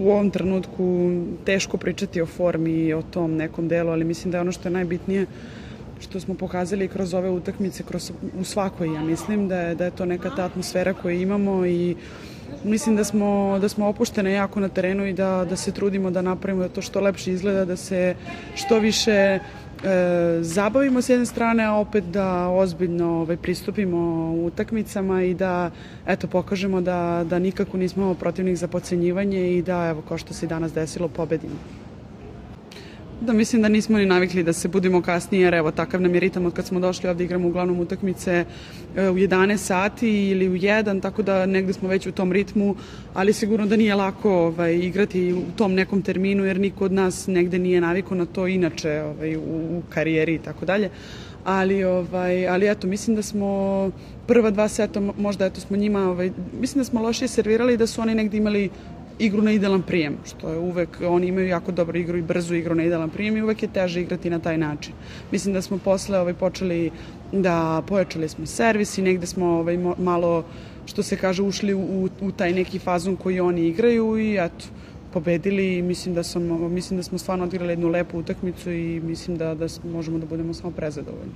u ovom trenutku teško pričati o formi i o tom nekom delu, ali mislim da je ono što je najbitnije što smo pokazali kroz ove utakmice, u svakoj, ja mislim da je to neka ta atmosfera koju imamo i mislim da smo opuštene jako na terenu i da se trudimo da napravimo da to što lepše izgleda, da se što više zabavimo s jedne strane, a opet da ozbiljno pristupimo utakmicama i da pokažemo da nikako nismo protivnik za potcenjivanje i da, evo, kao što se i danas desilo, pobedimo. Da, mislim da nismo ni navikli da se budimo kasnije, jer evo, takav nam je ritam od kad smo došli ovde, igramo uglavnom utakmice u 11 sati ili u 1, tako da negde smo već u tom ritmu, ali sigurno da nije lako igrati u tom nekom terminu, jer niko od nas negde nije navikao na to inače u karijeri i tako dalje. Ali eto, mislim da smo prva 2 seta, možda smo njima, mislim da smo lošije servirali i da su oni negde imali igru na idealan prijem, što je uvek, oni imaju jako dobru igru i brzu igru na idealan prijem i uvek je teže igrati na taj način. Mislim da smo posle počeli da pojačali smo servis i negde smo malo, što se kaže, ušli u taj neki fazon koji oni igraju i eto, pobedili i mislim da smo stvarno odigrali jednu lepu utakmicu i mislim da možemo da budemo samo prezadovoljni.